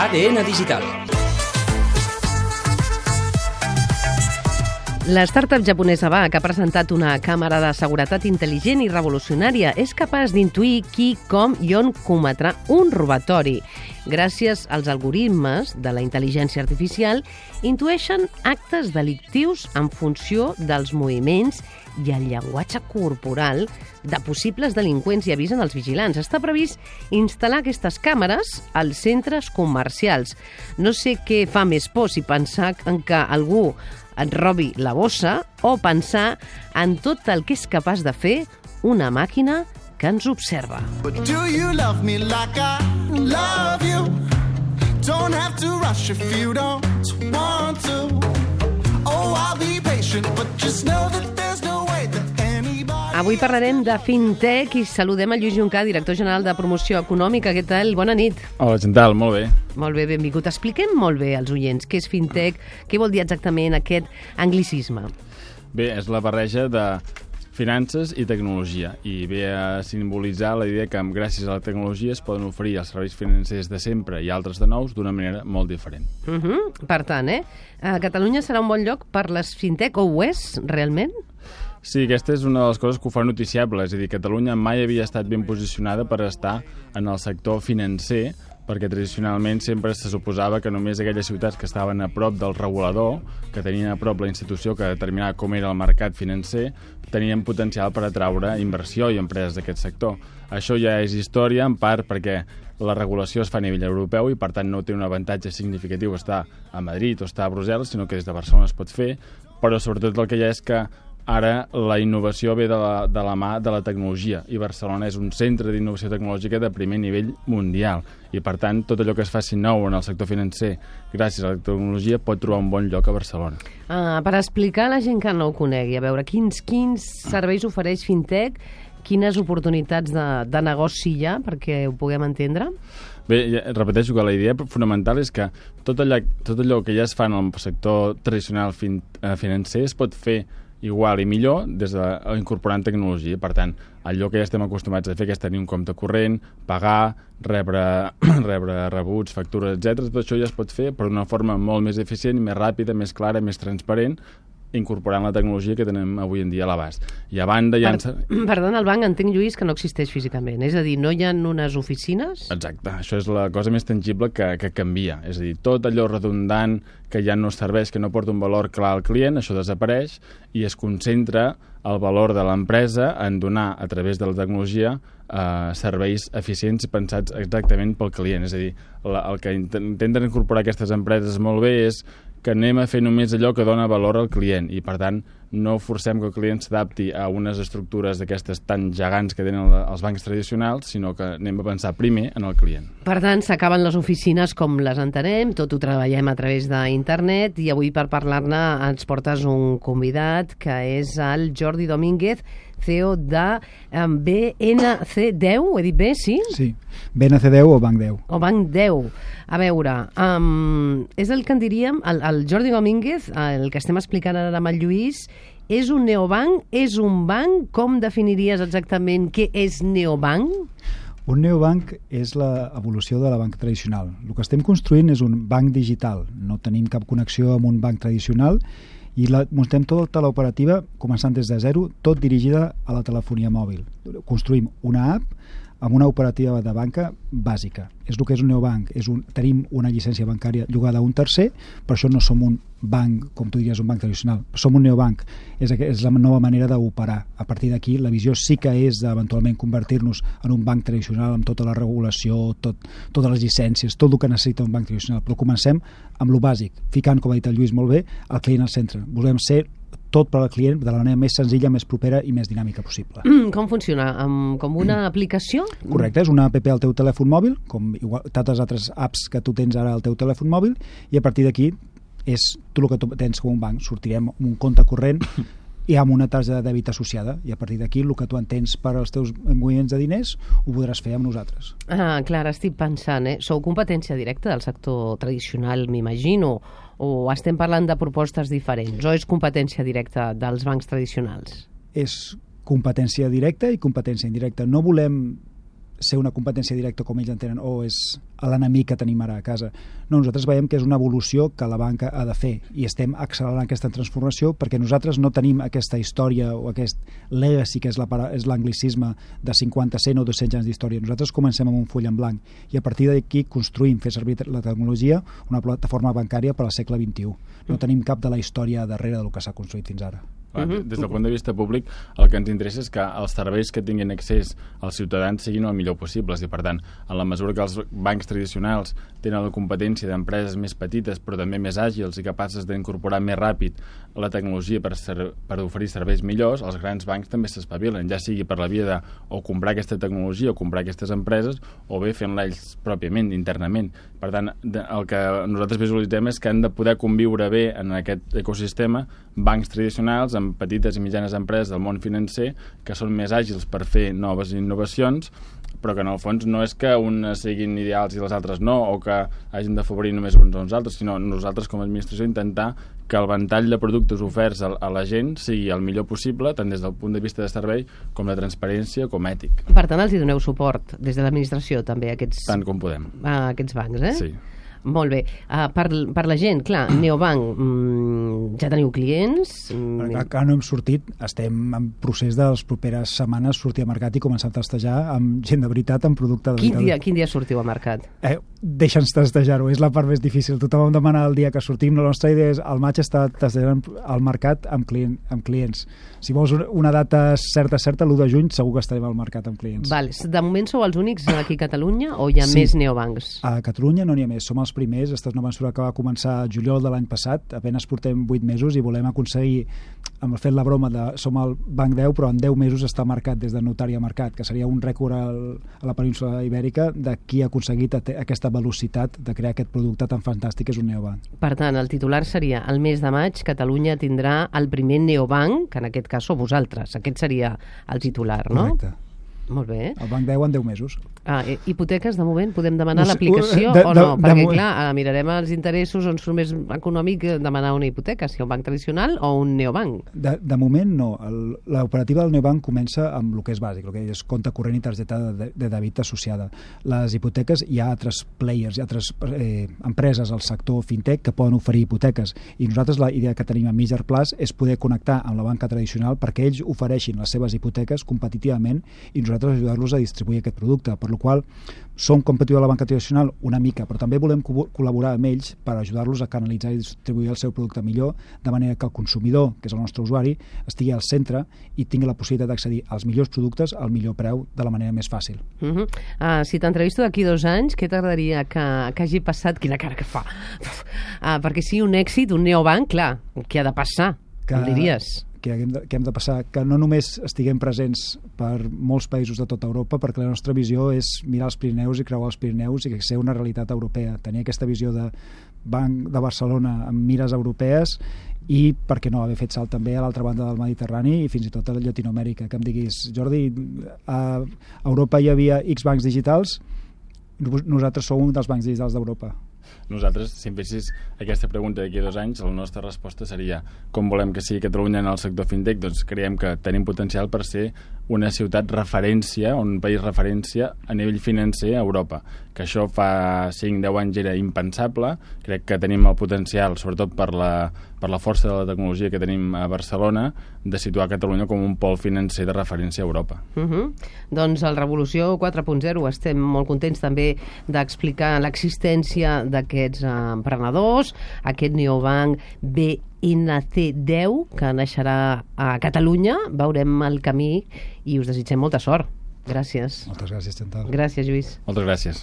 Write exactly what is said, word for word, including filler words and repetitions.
A D N Digital. La startup japonesa V A, que ha presentat una càmera de seguretat intel·ligent i revolucionària, és capaç d'intuir qui, com i on cometrà un robatori. Gràcies als algoritmes de la intel·ligència artificial, intueixen actes delictius en funció dels moviments i el llenguatge corporal de possibles delinqüents, i avisen els vigilants. Està previst instal·lar aquestes càmeres als centres comercials. No sé què fa més por, si pensar en que algú et robi la bossa o pensar en tot el que és capaç de fer una màquina que ens observa. But do you love me like I love you? Don't have to rush if you don't want to. Oh, I'll be patient, but just know that there's no way that anybody... Avui parlarem de fintech i saludem a Lluís Juncà, director general de Promoció Econòmica. Què tal? Bona nit. Hola, Chantal, molt bé. Molt bé, benvingut. Expliquem molt bé als oients què és fintech, què vol dir exactament aquest anglicisme. Bé, és la barreja de finances i tecnologia, i ve a simbolitzar la idea que gràcies a la tecnologia es poden oferir els serveis financers de sempre i altres de nous d'una manera molt diferent. Uh -huh. Per tant, eh? A Catalunya serà un bon lloc per les fintech, o ho és, realment? Sí, aquesta és una de les coses que ho fa noticiable, és a dir, Catalunya mai havia estat ben posicionada per estar en el sector financer, perquè tradicionalment sempre se suposava que només aquelles ciutats que estaven a prop del regulador, que tenien a prop la institució que determinava com era el mercat financer, tenien potencial per atraure inversió i empreses d'aquest sector. Això ja és història, en part perquè la regulació es fa a nivell europeu i, per tant, no té un avantatge significatiu estar a Madrid o estar a Brussel·les, sinó que des de Barcelona es pot fer, però sobretot el que hi ha és que ara la innovació ve de la, de la mà de la tecnologia, i Barcelona és un centre d'innovació tecnològica de primer nivell mundial, i per tant tot allò que es faci nou en el sector financer gràcies a la tecnologia pot trobar un bon lloc a Barcelona. Ah, per explicar a la gent que no ho conegui, a veure, quins, quins serveis ofereix fintech, quines oportunitats de, de negoci hi ha, perquè ho puguem entendre? Bé, ja repeteixo que la idea fonamental és que tot allò, tot allò que ja es fa en el sector tradicional fin, eh, financer es pot fer igual i millor des de incorporant tecnologia. Per tant, allò que ja estem acostumats a fer, que és tenir un compte corrent, pagar, rebre, rebre rebuts, factures, etcètera, tot això ja es pot fer però d'una forma molt més eficient, més ràpida, més clara, més transparent, incorporant la tecnologia que tenim avui en dia a l'abast. I a banda ja... Per, perdona, el banc entenc, Lluís, que no existeix físicament. És a dir, no hi ha unes oficines? Exacte. Això és la cosa més tangible que, que canvia. És a dir, tot allò redundant que ja no serveix, que no porta un valor clar al client, això desapareix i es concentra el valor de l'empresa en donar, a través de la tecnologia, eh, serveis eficients pensats exactament pel client. És a dir, la, el que intenten incorporar aquestes empreses molt bé és que anem a fer només allò que dona valor al client i, per tant, no forcem que el client s'adapti a unes estructures d'aquestes tan gegants que tenen els bancs tradicionals, sinó que anem a pensar primer en el client. Per tant, s'acaben les oficines com les entenem, tot ho treballem a través d'internet, i avui per parlar-ne ens portes un convidat que és el Jordi Domínguez, C E O de um, B N C deu, ho he dit bé, sí? Sí, B N C deu o Banc deu. O Banc deu. A veure, um, és el que en diríem, el, el Jordi Domínguez, el que estem explicant ara amb el Lluís, és un neobanc, és un banc? Com definiries exactament què és neobanc? Un neobanc és l'evolució de la banca tradicional. El que estem construint és un banc digital. No tenim cap connexió amb un banc tradicional i la, muntem tota l'operativa, començant des de zero, tot dirigida a la telefonia mòbil. Construïm una app amb una operativa de banca bàsica. És el que és un neobanc. És un, tenim una llicència bancària llogada a un tercer, però això no som un banc, com tu diries, un banc tradicional. Som un neobanc. És, és la nova manera d'operar. A partir d'aquí, la visió sí que és d'eventualment convertir-nos en un banc tradicional amb tota la regulació, tot, totes les llicències, tot el que necessita un banc tradicional. Però comencem amb lo bàsic, ficant, com ha dit el Lluís molt bé, el client al centre. Volem ser tot per al client de la manera més senzilla, més propera i més dinàmica possible. Mm, com funciona? Um, com una mm. aplicació? Correcte, és una app al teu telèfon mòbil, com igual, tantes altres apps que tu tens ara al teu telèfon mòbil, i a partir d'aquí és tu el que tu tens com un banc. Sortirem amb un compte corrent i amb una targeta de dèbit associada, i a partir d'aquí el que tu entens per als teus moviments de diners ho podràs fer amb nosaltres. Ah, clar, estic pensant, eh? Sou competència directa del sector tradicional, m'imagino, o estem parlant de propostes diferents, o és competència directa dels bancs tradicionals? És competència directa i competència indirecta. No volem ser una competència directa com ells entenen o és l'enemic que tenim ara a casa. No, nosaltres veiem que és una evolució que la banca ha de fer i estem accelerant aquesta transformació perquè nosaltres no tenim aquesta història o aquest legacy que és l'anglicisme de cinquanta, cent o dos-cents anys d'història. Nosaltres comencem amb un full en blanc i a partir d'aquí construïm, fer servir la tecnologia, una plataforma bancària per al segle vint-i-u. No tenim cap de la història darrere del que s'ha construït fins ara. Des del punt de vista públic, el que ens interessa és que els serveis que tinguin accés als ciutadans siguin el millor possibles i, per tant, en la mesura que els bancs tradicionals tenen la competència d'empreses més petites però també més àgils i capaces d'incorporar més ràpid la tecnologia per, ser, per oferir serveis millors, els grans bancs també s'espavilen, ja sigui per la via de o comprar aquesta tecnologia o comprar aquestes empreses o bé fent-la ells pròpiament, internament. Per tant, el que nosaltres visualitzem és que han de poder conviure bé en aquest ecosistema bancs tradicionals amb petites i mitjanes empreses del món financer que són més àgils per fer noves innovacions, però que en el fons no és que unes siguin ideals i les altres no, o que hagin d'afavorir només uns o uns altres, sinó nosaltres com a administració intentar que el ventall de productes oferts a, a la gent sigui el millor possible, tant des del punt de vista de servei com de transparència com ètic. Per tant, els hi doneu suport des de l'administració també a aquests, tant com podem. A aquests bancs, eh? Sí. Molt bé. Uh, per, per la gent, clar, Neobank, mm, ja teniu clients? Mm. Encara no hem sortit, estem en procés de les properes setmanes sortir a mercat i començar a testejar amb gent de veritat, amb producte de quin veritat. Dia, quin dia sortiu a mercat? Eh, Deixa'ns testejar-ho, és la part més difícil. Tothom em demana el dia que sortim, la nostra idea és al maig estar testejant al mercat amb, client, amb clients. Si vols una data certa, certa, l'u de juny segur que estarem al mercat amb clients. Val. De moment sou els únics aquí a Catalunya o hi ha sí. més neobancs? A Catalunya no n'hi ha més, som els primers. Esta és una mesura que va començar a juliol de l'any passat, apenas portem vuit mesos i volem aconseguir, amb fet la broma de som el banc deu, però en deu mesos està marcat des de notari a mercat, que seria un rècord al, a la península ibèrica de qui ha aconseguit aquesta velocitat de crear aquest producte tan fantàstic que és un neobanc. Per tant, el titular seria el mes de maig Catalunya tindrà el primer neobanc, que en aquest cas sou vosaltres. Aquest seria el titular, no? Correcte. Molt bé. El banc deu en deu mesos. Ah, hipoteques, de moment, podem demanar no sé, l'aplicació de, o de, no? de, Perquè, de, clar, mirarem els interessos on surt més econòmic demanar una hipoteca, si un banc tradicional o un neobanc. De, de moment, no. L'operativa del neobanc comença amb el que és bàsic, el que és compte corrent i targeta de, de dèbit associada. Les hipoteques, hi ha altres players, hi ha altres eh, empreses al sector fintech que poden oferir hipoteques i nosaltres la idea que tenim a mitjà plaç és poder connectar amb la banca tradicional perquè ells ofereixin les seves hipoteques competitivament i nosaltres ajudar-los a distribuir aquest producte, per la qual som competitius a la banca tradicional una mica, però també volem co col·laborar amb ells per ajudar-los a canalitzar i distribuir el seu producte millor, de manera que el consumidor, que és el nostre usuari, estigui al centre i tingui la possibilitat d'accedir als millors productes al millor preu de la manera més fàcil. Uh -huh. uh, si t'entrevisto d'aquí dos anys, què t'agradaria que, que hagi passat? Quina cara que fa! Uh, perquè si un èxit, un neobanc, clar, què ha de passar? Que, em diries? Que hem, de, que hem de passar, que no només estiguem presents per molts països de tota Europa, perquè la nostra visió és mirar els Pirineus i creuar els Pirineus i que ser una realitat europea, tenir aquesta visió de Banc de Barcelona amb mires europees i, per què no, haver fet salt també a l'altra banda del Mediterrani i fins i tot a Llatinoamèrica, que em diguis, Jordi, a Europa hi havia X bancs digitals, nosaltres som un dels bancs digitals d'Europa. Nosaltres, si em fessis aquesta pregunta d'aquí a dos anys, la nostra resposta seria com volem que sigui Catalunya en el sector fintech? Doncs creiem que tenim potencial per ser una ciutat referència, un país referència a nivell financer a Europa, que això fa cinc deu anys era impensable. Crec que tenim el potencial, sobretot per la, per la força de la tecnologia que tenim a Barcelona, de situar Catalunya com un pol financer de referència a Europa. Uh -huh. Doncs el Revolució quatre punt zero estem molt contents també d'explicar l'existència d'aquests emprenedors, aquest neobanc B N C deu que naixerà a Catalunya. Veurem el camí i us desitgem molta sort. Gràcies. Moltes gràcies, Chantal. Gràcies, Lluís. Moltes gràcies.